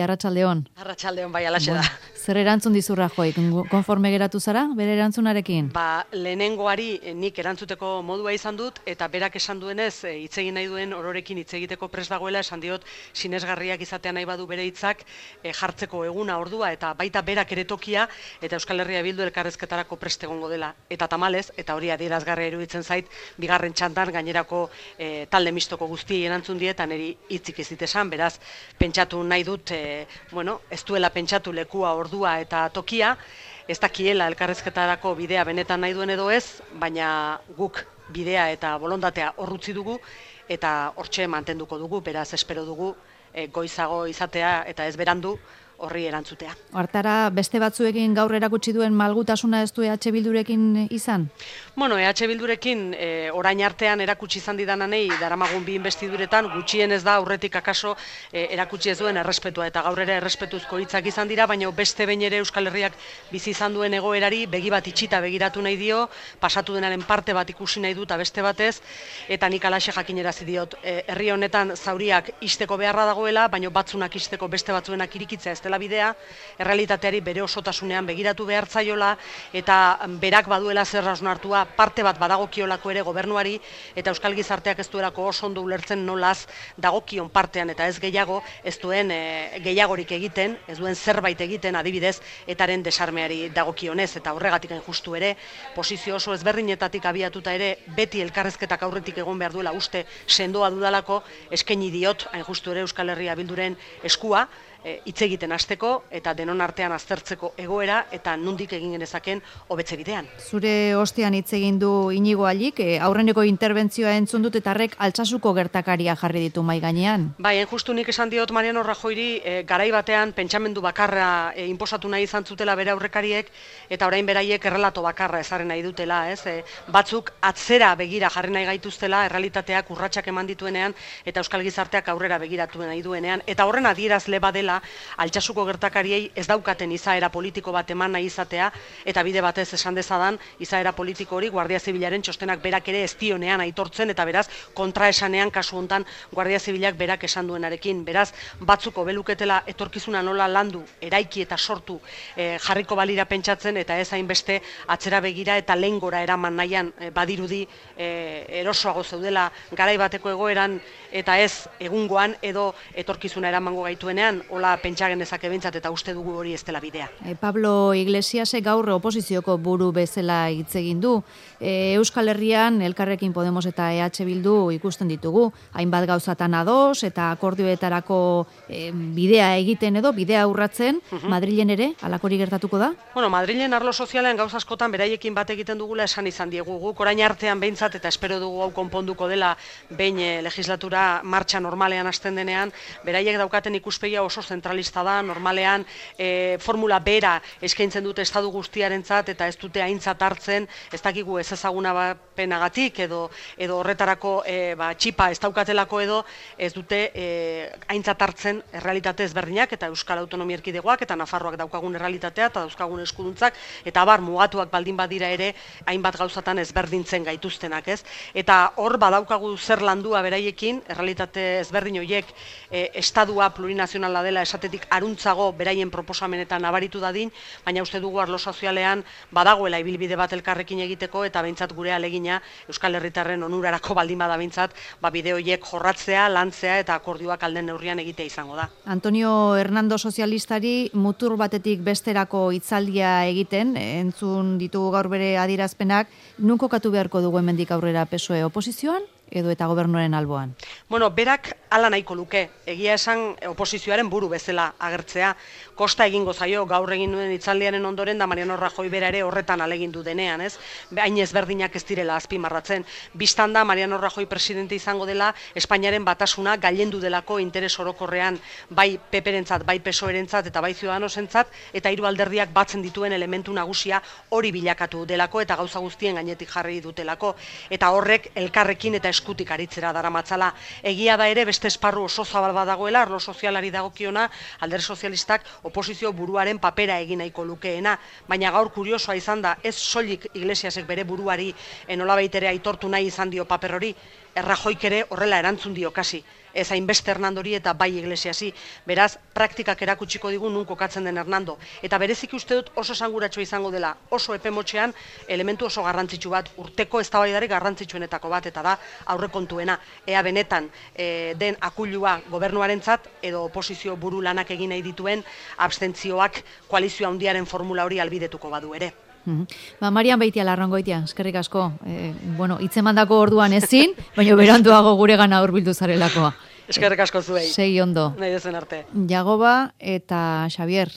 Arratsaldeon. Arratsaldeon bai alaxe da. Zer erantzun dizu Rajoy? Konforme geratu zara bere erantzunarekin? Lehenengoari nik erantzuteko modua izan dut eta berak esan duenez hitz egin nahi duen ororekin hitz egiteko prest dagoela, esan diot sinesgarriak izatea nahi badu bere hitzak jartzeko eguna ordua eta baita berak ere tokia eta Euskal Herria Bildu elkarrizketarako prest egongo dela. Eta tamalez, eta hori adierazgarria iruditzen zait, bigarren txandan gainerako talde mistoko guztiei erantzun die eta niri hitzik ez dit esan, beraz pentsatu nahi dut ez duela pentsatu lekua, ordua eta tokia, ez dakiela elkarrizketarako bidea benetan nahi duen edo ez, baina guk bidea eta bolondatea horrutzi dugu eta hortxe mantenduko dugu, beraz espero dugu goizago izatea eta ez berandu horri erantzutea. Hartara beste batzuekin gaur erakutsi duen malgutasuna ez du EH Bildurekin izan? EH Bildurekin orain artean erakutsi izan didananei daramagun bi investiduretan gutxienez da aurretik akaso erakutsi ez duen errespetua eta gaur ere errespetuzko hitzak izan dira, baina beste behin ere Euskal Herriak bizi izan duen egoerari begi bat itxita begiratu nahi dio, pasatu denaren parte bat ikusi nahi dut beste batez, eta nik alaxe jakinerazi diot herri honetan zauriak ixteko beharra dagoela, baina batzunak ixteko beste batzuenak irikitzea ez dela bidea, errealitateari bere osotasunean begiratu behar zaiola eta berak baduela zer hausnartua parte bat badagokiolako ere gobernuari eta Euskal Gizarteak ez duelako oso ondo ulertzen nolaz dagokion partean eta ez gehiago, ez duen gehiagorik egiten, ez duen zerbait egiten adibidez etaren desarmeari dagokionez eta horregatik hain justu ere posizio oso ezberdinetatik abiatuta ere beti elkarrezketak aurretik egon behar duela uste sendoa dudalako eskaini diot hain justu ere Euskal Herria Bilduren eskua hitz egiten hasteko eta denon artean aztertzeko egoera eta nondik egin genezaken hobetze bidean. Zure ostean hitz egin du Inigo Allik, aurreneko interbentzioa entzun dut eta horrek Altsasuko gertakaria jarri ditu mahai gainean. Bai, justu nik esan diot Mariano Rajoyri garai batean pentsamendu bakarra inposatu nahi izan zutela bere aurrekariek eta orain beraiek errelato bakarra ezarri nahi dutela, ez? Batzuk atzera begira jarri nahi gaituztela, errealitateak urratsak eman dituenean eta Euskal Gizarteak aurrera begiratu nahi duenean eta horren adierazle badela Altsasuko gertakariei ez daukaten izaera politiko bat eman nahi izatea eta bide batez esan dezadan izaera politiko hori Guardia Zibilaren txostenak berak ere ez dionean aitortzen eta beraz kontraesanean kasu hontan Guardia Zibilak berak esan duenarekin, beraz batzuko beluketela etorkizuna nola landu, eraiki eta sortu jarriko balira pentsatzen eta ez hainbeste atzera begira eta lehengora eraman nahian badirudi erosoago zeudela garai bateko egoeran eta ez egungoan edo etorkizuna eramango gaituenean hola pentsa genezake behintzat eta uste dugu hori ez dela bidea. Pablo Iglesiasek gaur oposizioko buru bezala hitz egin du. Euskal Herrian Elkarrekin Podemos eta EH Bildu ikusten ditugu. Hainbat gauzatan ados eta akordioetarako bidea egiten edo bidea urratzen, Madrilen ere halakori gertatuko da? Madrilen arlo sozialean gauza askotan beraiekin bat egiten dugula esan izan diegu. Guk orain artean behintzat eta espero dugu hau konponduko dela behin legislatura martxa normalean hasten denean, beraiek daukaten ikuspegia oso zentralista da, normalean formula bera eskaintzen dute estadu guztiarentzat eta ez dute aintzat hartzen, ez dakigu ez ezaguna penagatik edo horretarako txipa ez daukatelako edo ez dute aintzat hartzen errealitate ezberdinak eta Euskal Autonomia Erkidegoak eta Nafarroak daukagun errealitatea eta dauzkagun eskuduntzak eta abar mugatuak baldin badira ere hainbat gauzatan ezberdintzen gaituztenak, ez? Eta hor badaukagu zer landua beraiekin, errealitate ezberdin horiek estadua plurinazionala dela esatetik aruntzago beraien proposamenetan nabaritu dadin, baina uste dugu arlo sozialean badagoela ibilbide bat elkarrekin egiteko eta behintzat gure alegina Euskal Herritarren onurarako baldin bada behintzat bide horiek jorratzea, lantzea eta akordioak alden neurrian egitea izango da. Antonio Hernando sozialistari mutur batetik besterako hitzaldia egiten, entzun ditugu gaur bere adierazpenak, nun kokatu beharko dugu hemendik aurrera PSOE oposizioan edo eta gobernuaren alboan? Berak hala nahiko luke, egia esan oposizioaren buru bezala agertzea, kosta egingo zaio gaur egin duen hitzaldiaren ondoren da Mariano Rajoy bera ere horretan alegindu denean, ez? Hain ezberdinak ez direla azpimarratzen. Bistan da Mariano Rajoy presidente izango dela Espainiaren batasuna gailendu delako interes orokorrean bai PP-rentzat, bai PSOE-rentzat eta bai Ciudadanosentzat eta hiru alderdiak batzen dituen elementu nagusia hori bilakatu delako eta gauza guztien gainetik jarri dutelako eta horrek elkarrekin eta eskutik aritzera daramatzala. Egia da ere beste esparru oso zabal badagoela, arlo sozialari dagokiona, Alderdi Sozialistak oposizio buruaren papera egin nahiko lukeena, baina gaur kuriosoa izan da, ez soilik Iglesiasek bere buruari nolabait ere aitortu nahi izan dio paper hori, Rajoyk ere horrela erantzun dio kasi. ez hainbeste Hernandori eta bai Iglesiasi. Beraz, praktikak erakutsiko digu nun kokatzen den Hernando. Eta bereziki uste dut oso esanguratsua izango dela, oso epemotxean elementu oso garrantzitsu bat, urteko eztabaidarik garrantzitsuenetako bat, eta da aurrekontuena. Ea benetan den akuilua gobernuarentzat edo oposizio buru lanak egin nahi dituen abstentzioak koalizio handiaren formula hori albidetuko badu ere. Marian Beitia Larrangoitia, eskerrik asko. Hitzemandako orduan ezin, baina beranduago guregana hurbildu zarelakoa. Eskerrik asko zuei. Segi ondo. Nahi dezen arte. Jagoba eta Xavier,